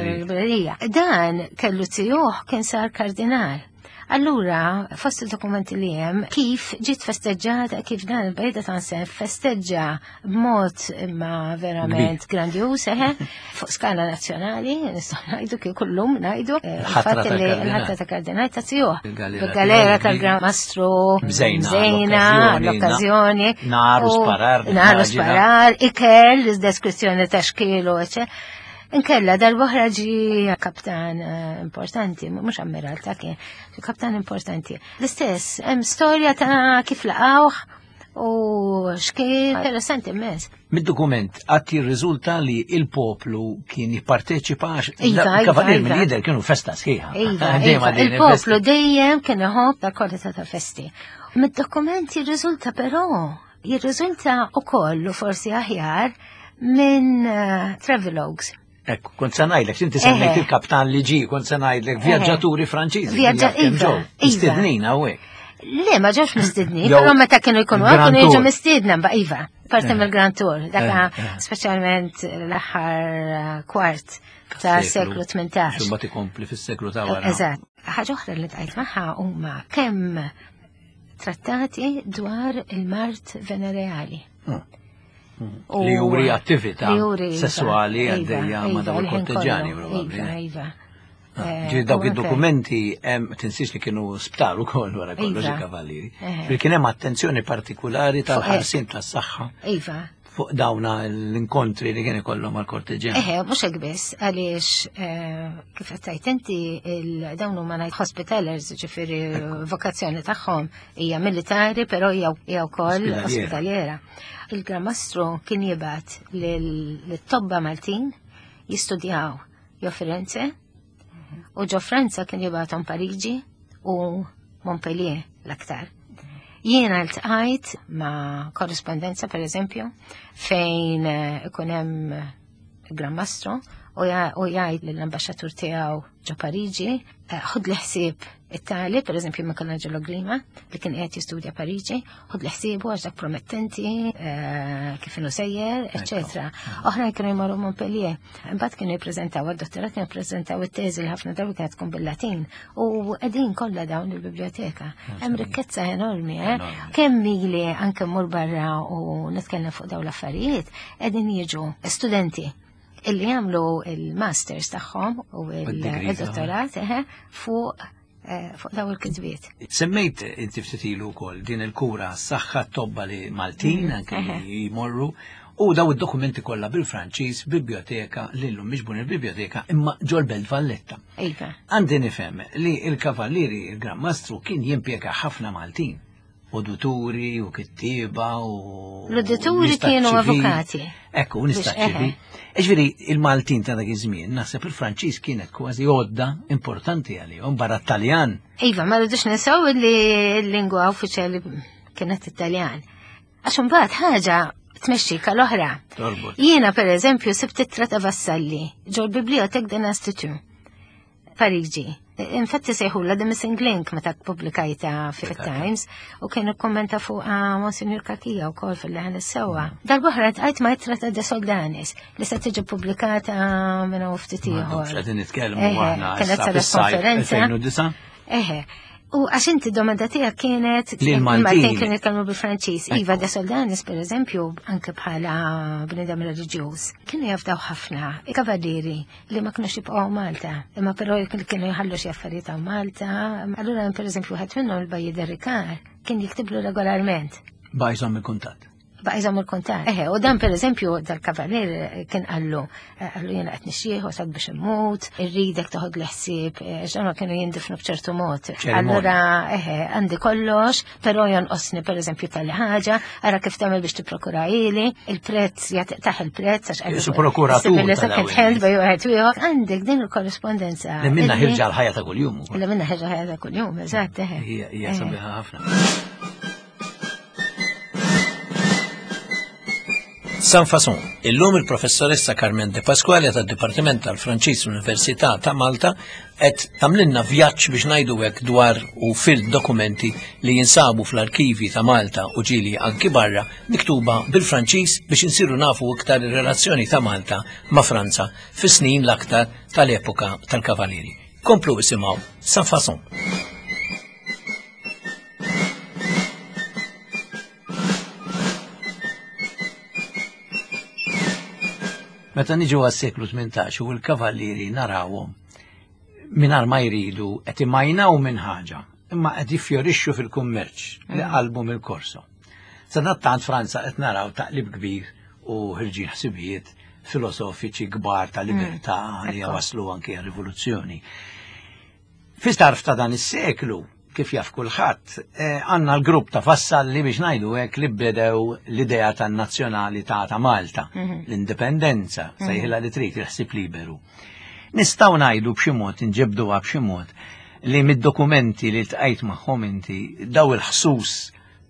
l-librerija. Dan kellu tiegħu kien sar kardinal. Allura, fost il-dokumenti li hemm, kif ġiet festeġġata, kif dan il-Bailli d'Ansen festeġġa b'mod imma verament grandjuż, eħe, fuq skala nazzjonali, nistgħu ngħidu kif kullum ngħidu, eh, Il-ħatra il-fatt li tal-kardinal. il-ħatra ta' kardinal ta' tiegħu. Il-galera Il-galera tiegħu, tal-Gran Mastru, Mżejna mżejna l-okkażjoni, l-okkażjoni. nar u u sparar, Nar u nimmaġina. sparar, ikel, deskrizzjoni ta' xkielu, eċe. Inkella darb'oħra ġi kaptan eh, importanti, mhux ammiral ta' kien, kaptan importanti. L-istess, hemm storja ta' kif laqawh u xkien interessanti immens. Mid-dokument għad jirriżulta li il-poplu kien jipparteċipa għax Iva, iva, kavalier iva. mill-lider kienu festa sħiħa. Iva, Dejjem iva, għaddejjin il-poplu il-festi. dejjem kien iħobb ta' kwalità ta' festi. Mid-dokument jirriżulta però, jirriżulta ukoll u forsi aħjar minn eh, travelogues. Ekku, kont se ngħidlek, inti semmejt Eħe. il-kaptan li ġi, kont se ngħidlek vjaġġaturi Franċiżi. Vjaġġa- kien iva, ġew, iva. Mistednin hawnhekk. Le, ma ġewx mistednin, Jew però meta kienu jkunu il-Grand għal kienu jiġu Tour. mistiedna, ba iva, parti Eh. mill-Grand Tour, daka Eh, eh. speċjalment l-aħħar eh, kwart ta' seklu tmintax. Xumbat ikompli fis-seklu ta' wara. Eżatt. Ħaġa oħra li tqajt magħha huma kemm trattati dwar il-mard venereali. Mm. U- Li juri attività li juri, iva, sessuali iva, għaddejja ma' iva, dawn il-ħin il-korteġġjani kollu, probabbli. Iva, iva. Ah, Eh, Ġifieri dawk u anke- id-dokumenti hemm tinsiex li kienu sptar ukoll wara kollox Iva. il-kavallieri. Eħe. Ġifieri kien hemm attenzjoni partikolari tal-ħarsien tas-saħħa Iva. fuq dawna l-inkontri li kien ikollhom mal-korteġġjani. Eħe, mhux hekk biss, għaliex eh, kif qed tgħid inti il- dawn huma ngħid hospitalers, ġifieri vokazzjoni tagħhom hija militari, però hija hija wkoll Ospedaliera. ospedaliera. Il-Gran Mastru kien jibgħat lit-tobba Maltin jistudjaw ġo Firenze u ġo Franza kien jibgħathom Pariġi u Montpellier l-aktar. Jiena ltqajt ma' korrespondenza, per eżempju, fejn eh, ikun hemm Gran Mastru u ja- u jgħid lill-ambaxxatur tiegħu ġo Pariġi, eh, ħud l-ħsieb it-tali, per eżempju Michelangelo Grima, li kien qiegħed jistudja Pariġi, ħud l-ħsiebu għax dak promettenti, eh, kif inhu sejjer, eċetera. Oħrajn kienu jmorru Montpellier. Imbagħad kienu jippreżentaw għad-dottorat kienu jippreżentaw it-teżi li ħafna drabi kienet tkun bil-Latin u qegħdin kollha dawn il-biblioteka. Hemm rikkezza enormi, eh? Enormi. Kemm ili anke mmur barra u nitkellem fuq dawn l-affarijiet, qegħdin jiġu studenti illi jagħmlu il-masters tagħhom u degrees, il-dottorat eħe, fuq eh, fuq daw il-kitbiet. Semmejt inti ftit ilu wkoll din il-kura s-saħħa tobba li Maltin anke li jmorru u daw id-dokumenti kollha bil-Franċiż, biblioteka li llum miġbun il-biblioteka imma ġol-Belt Valletta. Iva. Għandi nifhem li il-Kavallieri, il-Gran Mastru kien jimpjega ħafna Maltin. Udituri u kittiba u. L-udituri nies ta' kienu ċivil. avukati. Ekku, Biex, nies ta' ċivil. Ġifieri, il-Maltin ta' dak iż-żmien, naħseb il-Franċiż kienet kważi għodda importanti għalihom barra Taljan. Iva, ma rridux ninsew li l-lingwa uffiċjali kienet Italjan. Għax imbagħad ħaġa tmexxi l-oħra. Torbot. Jiena per eżempju sibt ittra ta' Vassalli ġol Bibliothèque de l'Institut Pariġi. Infatti sejħula The Missing Link meta publikajta fit-Times u kienu kommenta fuq Monsignor Cachia u kol fil-leħen is-sewwa. Darb'oħra għajt ma ittra ta' De Soldanis li se tiġi pubblikata minn hawn ftit ieħor. Qegħdin nitkellmu Eħe, aħna kienet issa saret fis-sajf konferenza. elfejn u disgħa. Eħe. U għax inti domanda tiegħek kienet Li l-Maltin. kienu jitkellmu bil-Franċiż. Ekku. Iva De Soldanis, per eżempju, anke bħala bnedem reliġjuż, kienu jafdaw ħafna kavallieri li ma kienux jibqgħu Malta, imma però kienu jħallu xi affarijiet hawn Malta. Allura per eżempju ħadd minnhom il-Bailli de Ricard kien jiktiblu regolarment. Baqa' jżomm il-kuntatt. Baqa' jżomm il-kuntatt. Eħe, u dan per eżempju dal-kavalier kien qallu, qallu jiena qed nixjieħ wasalt biex immut, irridek toħod l-ħsieb, ġemma kienu jindifnu b'ċertu mod. Allura, eħe, għandi kollox, però jonqosni per eżempju tal ħaġa, ara kif tagħmel biex tipprokura ili, il-prezz, taħ il-prezz, għax qallu. Prokuratur. Second hand bej wieħed ieħor. Għandek din il-korrespondenza. Li minna ħirġa l-ħajja ta' kuljum. Li minna ħirġa l-ħajja ta' kuljum, eżatt, eħe. Hija sabiħa ħafna. Sans Façon, illum il-professoressa Carmen De Pasquale tad-Dipartiment tal-Franċiż l-Università ta' Malta qed tagħmlilna vjaġġ biex ngħidu hekk dwar u fil-dokumenti li jinsabu fl-arkivi ta' Malta u ġieli anki barra miktuba bil-Franċiż biex insiru nafu iktar ir-relazzjoni ta' Malta ma' Franza fis-snin l-aktar tal-epoka tal-Kavalieri. Komplu isimgħu Sans Façon. Meta niġu għas-seklu tmintax u l-kavallieri narawhom mingħajr ma jridu qed imajnaw minn ħaġa, imma qed jiffjorixxu fil-kummerċ li qalbu mill-Korso. Sadattant Franza qed naraw taqlib kbir u ħirġin ħsibijiet filosofiċi kbar ta' libertà li waslu anke għar-rivoluzzjoni. Fi tarf ta' dan is-seklu, kif jaf kulħadd, għandna l-grupp ta' Vassalli biex ngħidu hekk li bdew l-idea tan-nazzjonalità ta' Malta, l-indipendenza, sejħilha li trid, il-ħsieb liberu. Nistgħu ngħidu b'xi mod, inġibduha b'xi mod, li mid-dokumenti li ltqajt magħhom inti daw il-ħsus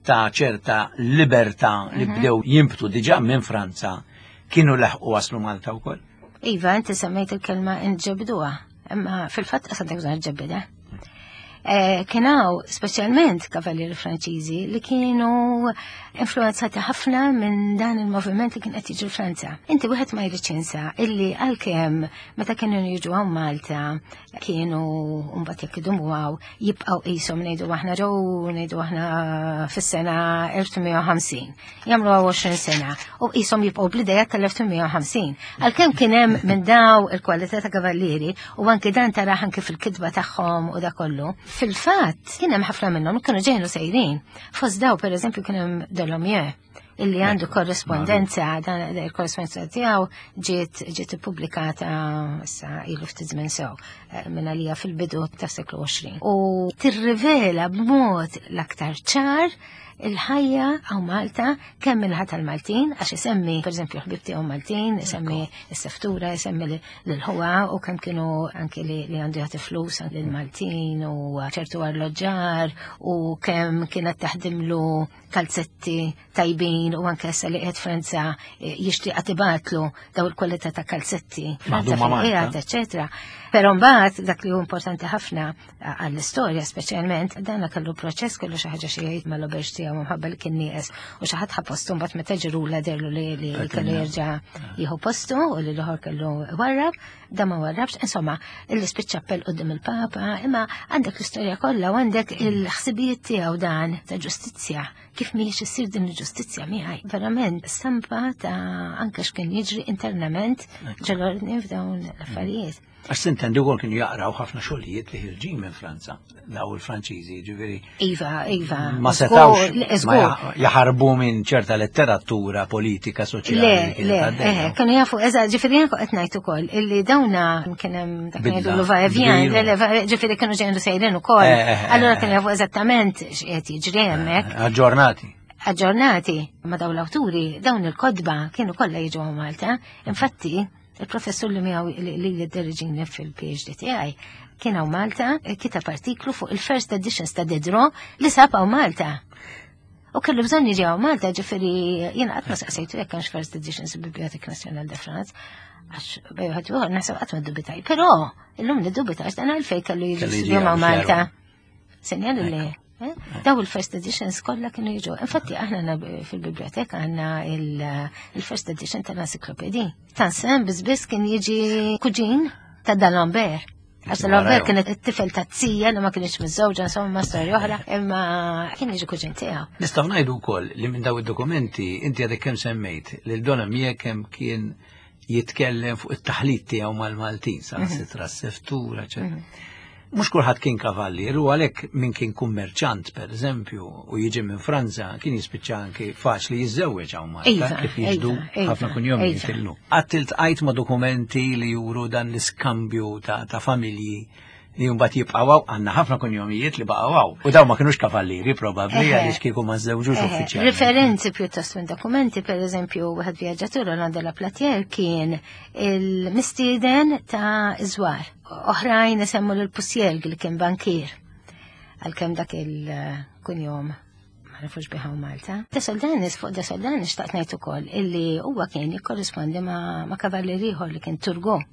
ta' ċerta libertà li bdew jinbtu diġà minn Franza kienu leħqu waslu Malta wkoll. Iva, inti semmejt il-kelma inġibduha, imma fil-fatt qas għandek bżonn ġebbieda. Kien hawn speċjalment kavallieri Franċiżi li kienu influenzati ħafna minn dan il-moviment li kien qed jiġri Franza. Inti wieħed ma jridx jinsa illi għalkemm meta kienu jiġu hawn Malta kienu mbagħad jekk idumu hawn jibqgħu qishom ngħidu aħna ġew ngħidu aħna fis-sena elf tmien mija u ħamsin. Jagħmlu għoxrin sena u qishom jibqgħu bl-idea tal-elf tmien mija u ħamsin. Għalkemm kien hemm minn daw il-kwalità ta' kavallieri u anke dan taraħ anke fil-kitba tagħhom u da kollu. Fil-fatt, kien hemm ħafna minnhom kienu ġejnu sejrin. Fost daw, per eżempju, kien hemm Dolomieu, illi għandu korrespondenza, dan il-korrespondenza tiegħu ġiet ġiet ippubblikata issa ilu ftit żmien sew minn għalija fil-bidu tas-seklu għoxrin. U tirrivela b'mod l-aktar ċar il-ħajja għaw Malta kemm minħa tal-Maltin, għax isemmi, per eżempju, ħbib tiegħu Maltin, isemmi s-seftura, isemmi l-ħuwa u kemm kienu anki li għandu jagħti flus lill-Maltin u ċertu arloġġar u kemm kienet taħdimlu kalzetti tajbin u anke issa li qiegħed Franza jixtieq tibatlu daw il-kwalità ta' kalzetti Franza fil-qiegħed, eċetera. Però mbagħad dak li hu importanti ħafna għall-istorja speċjalment, dan kellu proċess kellu xi ħaġa xi jgħid mal-oberġ tiegħu minħabba li kien nieqes u xi ħadd ħa postu mbagħad meta ġirula derlu li kellu jerġa' jieħu postu u li l-ieħor kellu warrab, da ma warrabx, insomma, illi spiċċa appell quddiem il-Papa, imma għandek l-istorja kollha u għandek il-ħsibijiet tiegħu dan ta' ġustizzja, kif mhijiex issir din il-ġustizzja miegħi. Verament stampa ta' anke x'kien jiġri internament ġol-ordni f'dawn l-affarijiet. Għax sintendi wkoll kienu jaqraw ħafna xogħlijiet li ħirġin minn Franza, daw il-Franċiżi, ġifieri. Iva, iva. Ma setgħux jaħarbu minn ċerta letteratura politika soċjali. Le, le, eh, kienu jafu, eżatt, ġifieri jien qed ngħid ukoll illi dawna kien hemm dak ngħidu l-va-et-vient, ġifieri kienu ġejjin sejrin ukoll. Allura kienu jafu eżattament x'qed jiġri hemmhekk. Aġġornati. Aġġornati ma' dawn l-awturi, dawn il-kodba kienu kollha jiġu Malta. Infatti, il-professur li miegħu li li fil-P H D tiegħi kien hawn Malta, kitab artiklu fuq il-first editions ta' Diderot li sab hawn Malta. U kellu bżonn jiġi hawn Malta, ġifieri jiena qatt ma saqsejtu jekk hemmx first editions fil-Bibliothèque Nationale de France, għax bej wieħed ieħor naħseb qatt ma ddubitaj. Però illum niddubitaj għax dan għalfejn kellu jiġi studju ma' Malta. Sinjal li daw il-first editions kollha kienu jiġu. Infatti aħna fil-biblioteka għandna il-first edition tal-encyclopédie. Tansen biss kien jiġi kuġin ta' D'Alembert. Għax D'Alembert kien it-tifel ta' tija li ma kienx miżżewġa, insomma storja oħra, imma kien jiġi kuġin tiegħu. Nistgħu ngħidu wkoll li minn daw id-dokumenti inti għadek kemm semmejt li l-Dolomieu kemm kien jitkellem fuq it-taħlit tiegħu mal-Maltin, sa' sitra s-seftura, eċetera. Mhux kulħadd kien kavallier u għalhekk min kien kummerċant pereżempju u jiġi minn Franza kien jispiċċa anki faċli jiżżewweġ hawn Malta Iva, kif jiġdu iva, iva, ħafna kunjomijiet iva. illum. Qatt iltqajt ma' dokumenti li juru dan l-iskambju ta', ta' familji li mbagħad jibqgħu hawn, għandna ħafna kunjomijiet li baqgħu hawn. U dawn ma kinux kavallieri probabbli Eħe. għaliex kieku ma żewġux Eħe, uffiċjalment. Referenzi pjuttost minn dokumenti, per eżempju, wieħed vjaġġatur Roland de la Platière kien il-mistieden ta' Iżwar. Oħrajn isemmu l-Pusjelg li kien bankier. Għalkemm dak il-kunjom ma nafux biha Malta. De Soldanis, fuq De Soldanis xtaqt ngħid ukoll illi huwa kien jikkorrispondi ma', ma kavallier ieħor li kien Turgot.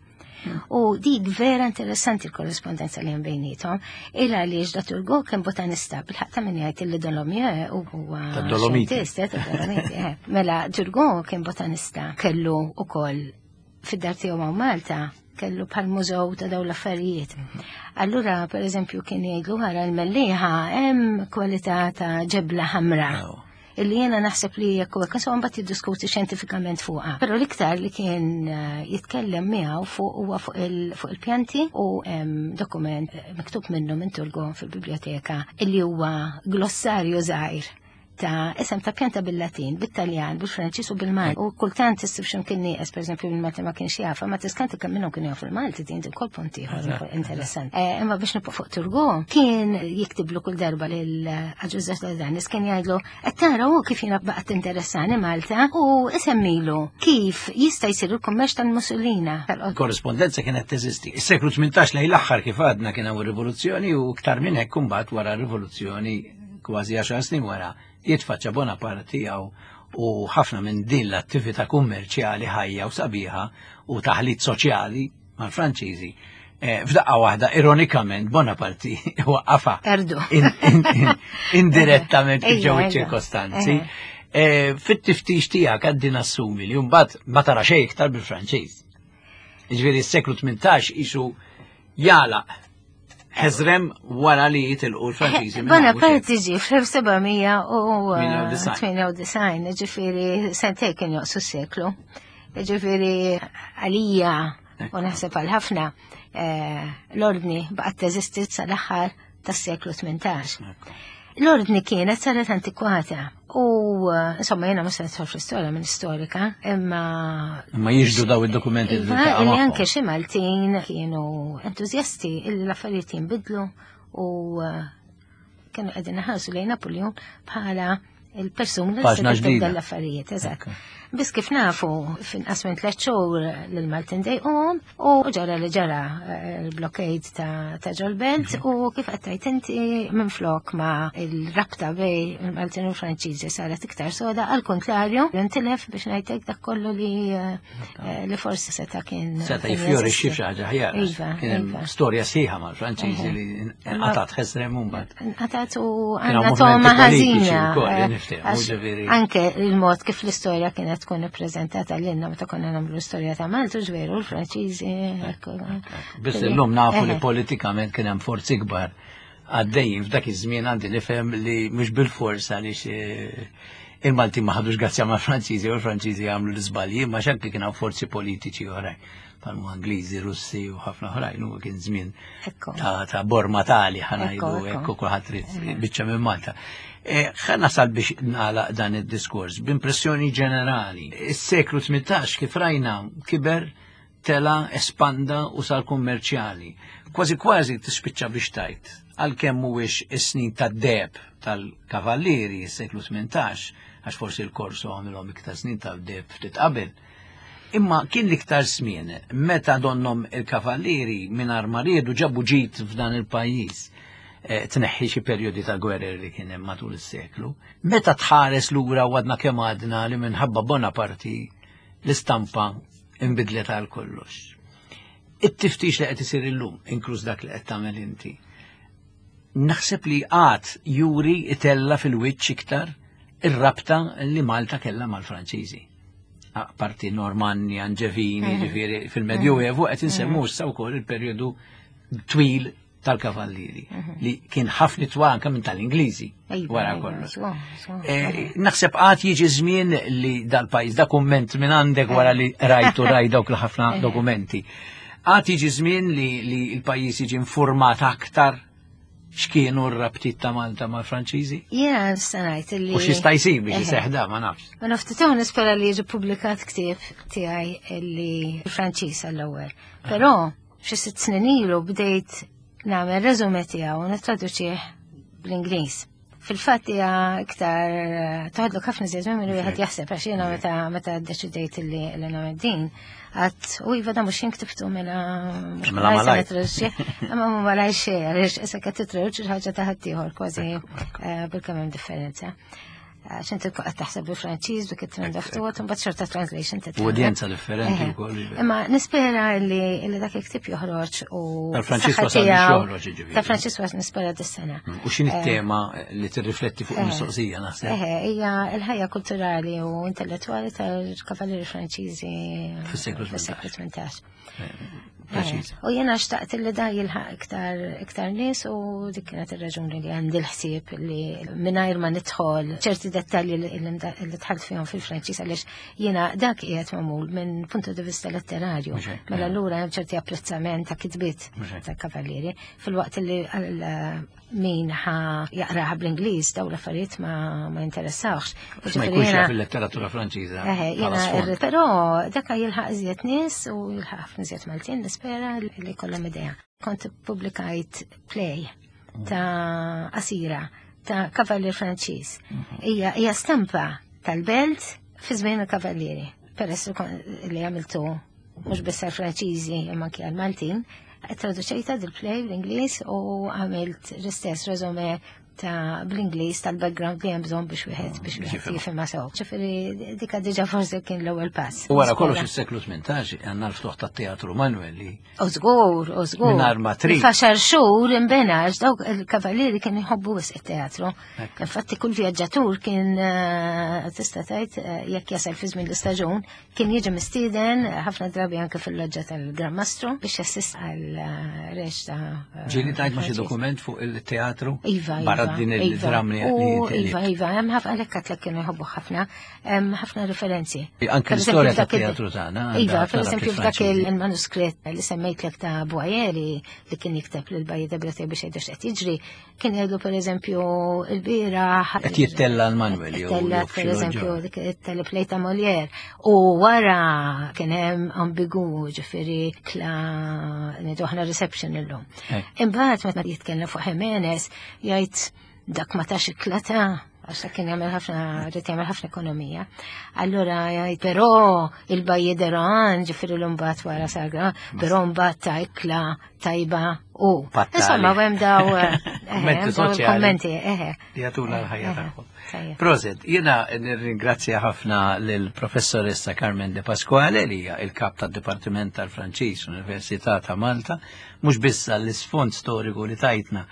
U dik vera interessanti l-korrespondenza li hemm bejnietom, illa għaliex da Turgot kien botanista, bil-ħaqq ta' min jgħid illi Dolomieu u huwa Tad-Dolomiti. xjentist, eh, tad-Dolomiti, eh. Mela Turgot kien botanista, kellu ukoll fid-dar tiegħu ma' Malta kellu bħal mużew ta' dawn l-affarijiet. Allura, per eżempju, kien jgħidlu ħara l-Mellieħa hemm kwalità ta' ġebla ħamra Aw. illi jena naħseb li jekk huwa kasu mbagħad jiddiskuti xjentifikament fuqha. Però l-iktar li kien eh, jitkellem miegħu fuq huwa fuq il- fuq il-pjanti u hemm dokument eh, miktub minnu minn Turgot fil-biblioteka illi huwa glossarju żgħir ta' isem ta' pjanta bil-Latin, bil-Taljan, bil-Franċis u bil-Malti. U kultant issib x'imkien nieqes, pereżempju bil-Malti ma kienx jafa, ma tiskanti kemm minnhom kienu jafu l-Malti din ukoll punt ieħor interessant. Eh, Imma biex nibqa' fuq Turgot, kien jiktiblu kull darba lil Agius de Soldanis kien jgħidlu qed tara hu kif jiena baqgħet interessani Malta u isemmilu kif jista' jsir il-kummerċ tal-Mussolina. Korrespondenza kienet teżisti. Is-seklu tmintax lejn l-aħħar kif għadna kien hawn rivoluzzjoni u iktar minn hekk imbagħad wara r-rivoluzzjoni kważi għaxar snin wara jitfaċċa Bonaparte tiegħu u ħafna minn din l-attività kummerċjali ħajja u sabiħa u taħlit soċjali mal-Franċiżi. Eh, F'daqqa waħda, ironikament, Bonaparte waqqafa Erdu. in- in- in- indirettament kif Ejja, ġew ejja. iċ-ċirkostanzi. Eh, Fit-tiftix tiegħek għaddi nassumi li mbagħad ma tara xejn iktar bil-Franċiż. Jiġifieri s-seklu tmintax isu jalaq ħeżrem wara li jitilqu l-Franċiżi. minn hawn u xejn. Bonaparte ġie fl-elf seba' mija u tmienja u disgħin, ġifieri sentej kien joqsu s-seklu. Ġifieri għalija u naħseb għal ħafna eh, l-ordni baqgħet teżisti sal-aħħar tas-seklu tmintax. L-ordni kienet saret antikwata u eh, insomma jiena mhux se nidħol fl-istorja minn storika, imma Ma jiġdu daw id-dokumenti li Iva, tiltaqa' illi magħhom. anke xi Maltin kienu entużjasti illi l-affarijiet jinbidlu u eh, kienu qegħdin iħarsu lejn Napoleon bħala il-persuna li Paġna se tibda ġdida. l-affarijiet, eżatt. Ekku. Biss kif nafu finqas minn tliet xhur lil Maltin dejqhom u ġara li ġara eh, il-blockade ta' ta' ġol-Belt u kif qed tgħid inti minflok ma il-rabta bejn il-Maltin u l-Franċiżi saret iktar soda, għal kontrarju intilef biex ngħidlek dak kollu li eh, eh, li forsi seta' kien Seta' kien jifjorixxi jeżisti. f'xi ħaġa ħjar. Iva, Kien hemm iva. storja sħiħa mal-Franċiżi li nqatgħat ħesrem mbagħad. Nqatgħat u Kien hawn għandna toma movimenti politiċi ħażina. wkoll, eh, niftehmu, għax ġifieri. Anke il-mod kif l-istorja kienet tkun ippreżentata lilna meta konna nagħmlu l-istorja ta' Malta, ġveru l-Franċiżi. Ekku. Biss illum nafu li Eħe. politikament kien hemm forzi kbar għaddejjin f'dak iż-żmien, għandi nifhem li mhux bil-fors għaliex eh, il-Malti ma ħadux grazzja ma' Franċiżi u l-Franċiżi għamlu l-iżbalji, ma xanki kien hawn forzi politiċi oħrajn bħalma Ingliżi, Russi u ħafna oħrajn, u kien żmien Ekku. ta' ta' borma tali ħa ngħidu Ekku, ekku. ekku kulħadd irid biċċa minn Malta. Eh, Ħa nasal biex nagħlaq dan id-diskors b'impressjoni ġenerali. Is-seklu tmintax kif rajna kiber tela espanda u sar kummerċjali. Kważi kważi tispiċċa biex tajt għalkemm mhuwiex is-snin tad-deheb tal-kavallieri s-seklu tmintax, għax forsi l-korso għamilhom iktar snin tad-deheb ftit qabel. Imma kien l-iktar żmien meta donnom il-kavallieri mingħajr ma riedu ġabu ġid f'dan il-pajjiż. Eh, Tneħħi xi perjodi ta' gwerer li kien hemm matul is-seklu. Meta tħares lura u għadna kemm għadna li minħabba Bonaparte l-istampa imbidlet għal kollox. It-tiftix li qed isir illum, inkluż dak li qed tagħmel inti, naħseb li għad juri itella fil-wiċċ iktar ir-rabta li Malta kellha mal-Franċiżi. Parti Normanni, Anġevini, ġifieri fil-Medjuevu qed insemmu issa wkoll il-perjodu twil tal-kavallieri li kien ħafna twal anke minn tal-Ingliżi Iva, wara iva, kollox. żgur, żgur. Eh, Naħseb għad jiġi żmien li dal-pajjiż, da kumment minn għandek wara li rajtu raj dawk l-ħafna dokumenti. Għad jiġi żmien li, li l-pajjiż jiġi informat aktar x'kienu r-rabtiet ta' Malta mal-Franċiżi? Jiena nista' ngħid li U x'jista' jsir biex Eħe. iseħħ da, ma nafx. Ma naftit nispera li jiġi publikat ktieb tiegħi li Franċiż għall-ewwel. Però xi sitt snin ilu bdejt nagħmel resume tiegħu u nittraduċih bl-Ingliż. Fil-fatt hija iktar eh, toħodlok ħafna żjed minn wieħed jaħseb, għax jiena meta meta ddeċidejt li li nagħmel din, għedt u iva, da mhux jien ktibtu, mela mhux Mela malaj se malaj. nittraduċih, imma mhu malaj xejn, għaliex issa qed titraduċi xi ħaġa ta' ħaddieħor kważi eh, bil-kemm hemm differenza. Għax inti qed taħseb bil-Franċiż dik it-trend of thought, imbagħad xorta translation U titgħallem. udjenza differenti Eħe. wkoll. Imma nispera li li dak il-ktieb joħroġ u Tal-Franċiż saħħa wasal biex tiegħu- joħroġ, jiġifieri. Ta' Franċiż wasal, nispera, dis-sena. U x'inhi t-tema li tirrifletti fuq Eh. il-mistoqsija, naħseb? Eħe, hija l-ħajja kulturali u intellettwali tal-kavallieri Franċiżi Fis-seklu fis-seklu tmintax. Preċiż. U jena xtaqt li da jilħaq iktar iktar nies u dik kienet ir-raġuni li għandi l-ħsieb li mingħajr ma nidħol ċerti dettalji li li dħalt fihom fil-Franċiż, għaliex jiena dak qiegħed magħmul minn punto di vista letterarju. Mhux hekk, Mela eh. allura hemm ċerti apprezzament ta' kitbiet Mhux hekk. ta' kavallieri, filwaqt li għal min ħa jaqraha bl-Ingliż daw l-affarijiet ma ma interessawx. Ma jkunx jaf il-letteratura Franċiża Eħe, bħala jena, sfond. però daka jilħaq iżjed nies u jilħaq ħafna iżjed Maltin, nispera li kollhom idea. Kont publikajt play ta' qasira ta' Kavallier Franċiż. Hija hija stampa tal-belt fi żmien il-Kavallieri. Peress li kon- li għamiltu mhux biss għall-Franċiżi imma anke għall-Maltin, traduċejta dil-play bl-Ingliż u għamilt l-istess resume ta' bl-Ingliż tal-background li hemm bżonn biex wieħed biex Biex wieħed jifhimha. jifhimha sew. Ġifieri dika diġà forsi kien l-ewwel pass. U wara kollox Nispera. is-seklu tmintax għandna l-ftuħ tat-Teatru Manuel li U żgur, u żgur. Mingħajr ma trid. F'għaxar xhur imbena, għax dawk il-kavallieri kienu jħobbu wisq it-teatru. Ekk. Infatti kull vjaġġatur kien eh, tista' tgħid eh, jekk jasal fi żmien l-istaġun, kien jiġi mistieden eh, ħafna drabi anke fil-loġġa tal-Gran Mastru biex jassist għal eh, reċta. eh, Ġieli tajt ma xi Franċiż. dokument fuq il-teatru Iva, barra iva, din iva. il-dram li U li- Iva, iva, hemm ħafna, għalhekk għedtlek kienu jħobbu ħafna, hemm ħafna referenzi. Anke Per l-istorja eżempju, f'dak il- tat-teatru tagħna għandha Iva, ħafna per eżempju rabtiet f'dak Franċiżi. il-manuskritt li semmejtlek ta' Boieri li kien jikteb lil Bailli de Breteuil biex jgħidu x'qed jiġri, kien jgħidu, per eżempju, il-bieraħ Qed jittella l-Manuel jew Tella, jew f'xi per eżempju, loġġa. dik it-teleplay ta' Molière. U wara kien hemm ambigu, ġifieri kla ngħidu aħna reception illum. Hekk. Imbagħad meta jitkellem fuq Jimenez jgħid dak ma tax iklata, għax dak kien jagħmel ħafna, rid jagħmel ħafna ekonomija. Allura jgħid però il-Bailli de Rohan, ġifieri l-mbagħad wara sagra, però mbagħad ta' ikla tajba u. Fattali. Insomma, hemm daw eh, Kummenti hemm daw soċjali. il-kommenti, eħe. Li jagħtuna l-ħajja Eħe, tagħhom. tajjeb. Prosit, jiena nirringrazzja ħafna lill-professoressa Carmen De Pasquale, li hija il-kap tad-Dipartiment tal-Franċiż Università ta' Malta, mhux biss għall-isfond storiku li tajtna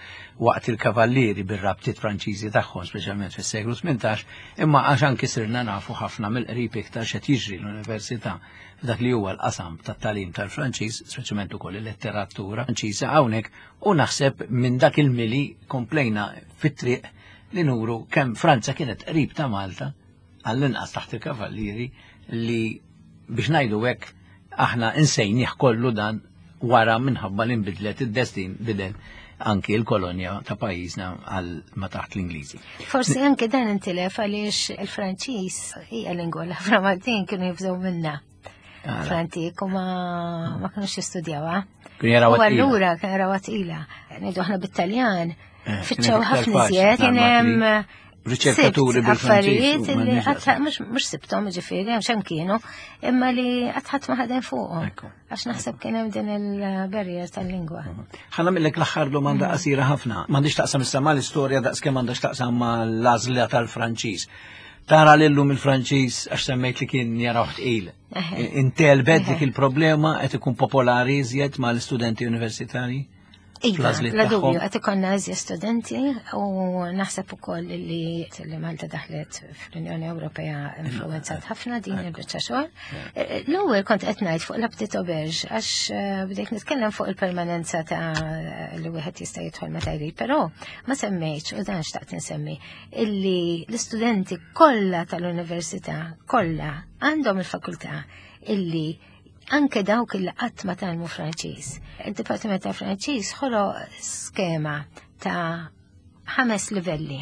waqt il-kavallieri bir-rabtiet Franċiżi tagħhom, speċjalment fis-seklu tmintax, imma għax anki sirna nafu ħafna mill-qrib iktar x'qed jiġri l-università f'dak li huwa l-qasam tat-tagħlim tal-Franċiż, speċjalment ukoll il-letteratura Franċiża hawnhekk, u naħseb minn dak il-mili komplejna fit-triq li nuru kemm Franza kienet qrib ta' Malta, għall-inqas taħt il-kavallieri, li biex ngħidu hekk aħna insejnieh kollu dan wara minħabba li nbidlet id-destin, bidel anki l-kolonja ta' pajjiżna għal ma taħt l-Ingliżi. Forsi anke dan intilef għaliex il-Franċiż hija lingwa li ħafna Maltin kienu jibżgħu minna. Għala. Fl-antik u ma ma kinux jistudjawha. Kienu jaraw U tqila. allura kien jaraw tqila. Ngħidu aħna bit-Taljan Eh, fittxew kienet iktar ħafna faċli, iżjed, kien hemm riċerkaturi sibt bil-Franċiż affarijiet u li m'għandniex qatt daqshekk. mhux mhux sibthom, ġifieri hemm x'hemm kienu, imma li qatt ħadd ma ħadem fuqhom. Ekku. Għax naħseb kien hemm din il-barrier tal-lingwa. Ħa nagħmillek l-aħħar domanda qasira ħafna. M'għandix taqsam issa mal-istorja daqs kemm għandha x'taqsam mal-għażla tal-Franċiż. Tara lillum il-Franċiż, għax semmejt li kien jaraw tqil. Eħe. Intelbet dik Eħe. il-problema, qed ikun popolari iżjed mal-istudenti universitari? Iva, Fl-għażliet la dubju, tagħhom. qed ikollna iżjed studenti u naħseb ukoll li li Malta daħlet fl-Unjoni Ewropea influenzat ħafna din il-biċċa xogħol. Eh, L-ewwel kont qed ngħid fuq la petite auberge, għax eh, bdejt nitkellem fuq il-permanenza ta' li wieħed jista' jidħol meta jrid, però ma semmejtx, u dan xtaqt insemmi, illi l-istudenti kollha tal-università kollha għandhom il-fakultà illi Anke dawk li qatt ma tgħallmu Franċiż. Il-Dipartiment ta' Franċiż ħoloq skema ta' ħames livelli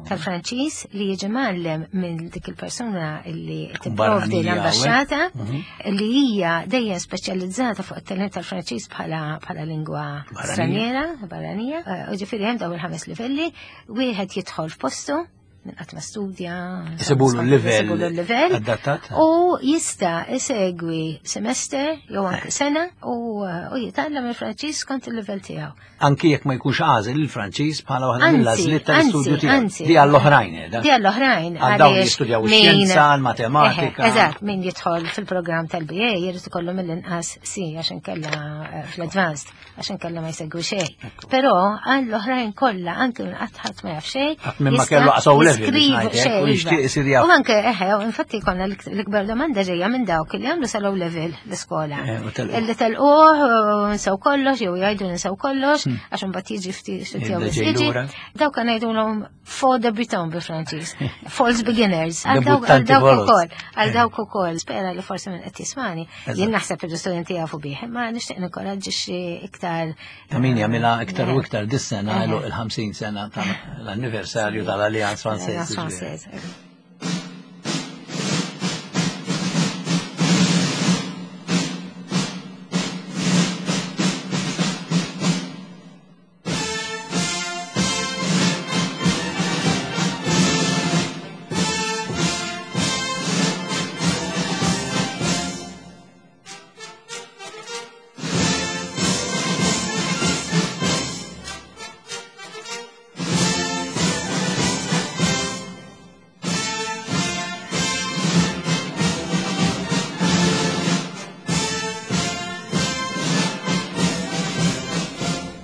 tal-Franċiż li jiġi mgħallem minn dik il-persuna li tipprovdi l-ambaxxata mhm. li hija dejjem speċjalizzata fuq it-talent tal-Franċiż bħala bħala lingwa straniera, barranija. Eh, u ġifieri hemm dawn il-ħames livelli, wieħed jidħol f'postu minn qatt ma studja. Isibulu l-livell. Adattat. U jista' isegwi semester jew anke sena u jitgħallem il-Franċiż skont il-livell tiegħu. Anki jekk ma jkunx għażel il-Franċiż bħala waħda mill-għażliet tal-istudju tiegħu. Di għall-oħrajn, eh, Di għall-oħrajn. Għal dawn li jistudjaw ix-xjenza, l-matematika. Eżatt, min jidħol fil-programm tal-B A jrid ikollu mill-inqas C għax inkella eh, fl-advanced, għax inkella ma jsegwi xejn. Però għall-oħrajn kollha, anke minn qatt ħadd ma jaf xejn. Minn ma kellu qas O level. U anke, eħe, infatti konna l-ikbar domanda ġejja minn dawk li għamlu sal-O level l-iskola. Eh, Illi telquh, nsew kollox, jew jgħidu nsew kollox, hmm. għax imbagħad jiġi ftit jiġi. Dawk kan ngħidulhom faux debutants bil-Franċiż, false beginners. Għal dawk ukoll, għal dawk ukoll. Spera li forsi minn qed jismani. Jien naħseb il-studenti jafu bih, imma nixtieq ninkoraġġixxi iktar. Ta' min jagħmilha iktar u iktar dis-sena il-ħamsin sena tal-anniversarju tal-Alliance Française. Française.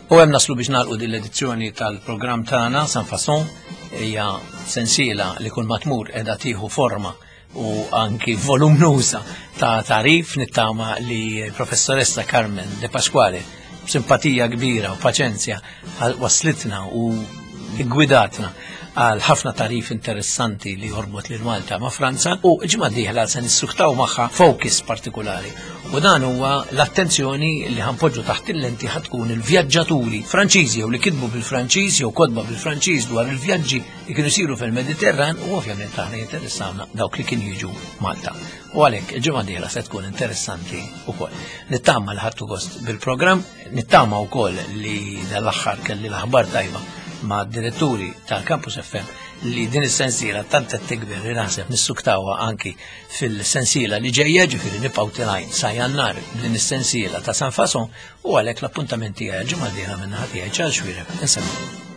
U hemm naslu biex nagħlqu din l-edizzjoni tal-programm tagħna Sans Façon, hija sensiela li kull ma tmur qiegħda tieħu forma u anki volumnuża ta' tarif. Nittama li professoressa Carmen De Pasquale b'simpatija kbira u paċenzja waslitna u gwidatna għal ħafna tarif interessanti li jorbot lil Malta ma' Franza, u ġimgħa dieħla se nissuktaw magħha focus partikolari. U dan huwa l-attenzjoni li ħanpoġġu taħt il-lenti ħatkun il-vjaġġaturi Franċiżi jew li kitbu bil-Franċiż jew kotba bil-Franċiż dwar il-vjaġġi li kienu jsiru fil-Mediterran, u ovvjament aħna jinteressawna dawk li kienu jiġu Malta. U għalhekk il-ġimgħa dieħla se tkun interessanti wkoll. Nittama li ħadtu gost bil-programm, nittama wkoll li dal-aħħar kelli l-aħbar tajba ma' diretturi tal-Campus F M li din is-sensiela tant qed tikber li naħseb nissuktawha anki fil-sensiela li ġejja, ġifieri nibqgħu tilgħin sa Jannar din is-sensiela ta' Sans Façon, u għalhekk l-appuntament tiegħi l-ġimgħa d-dieħla minn naħa tiegħi Charles Xuereb. Insemmu.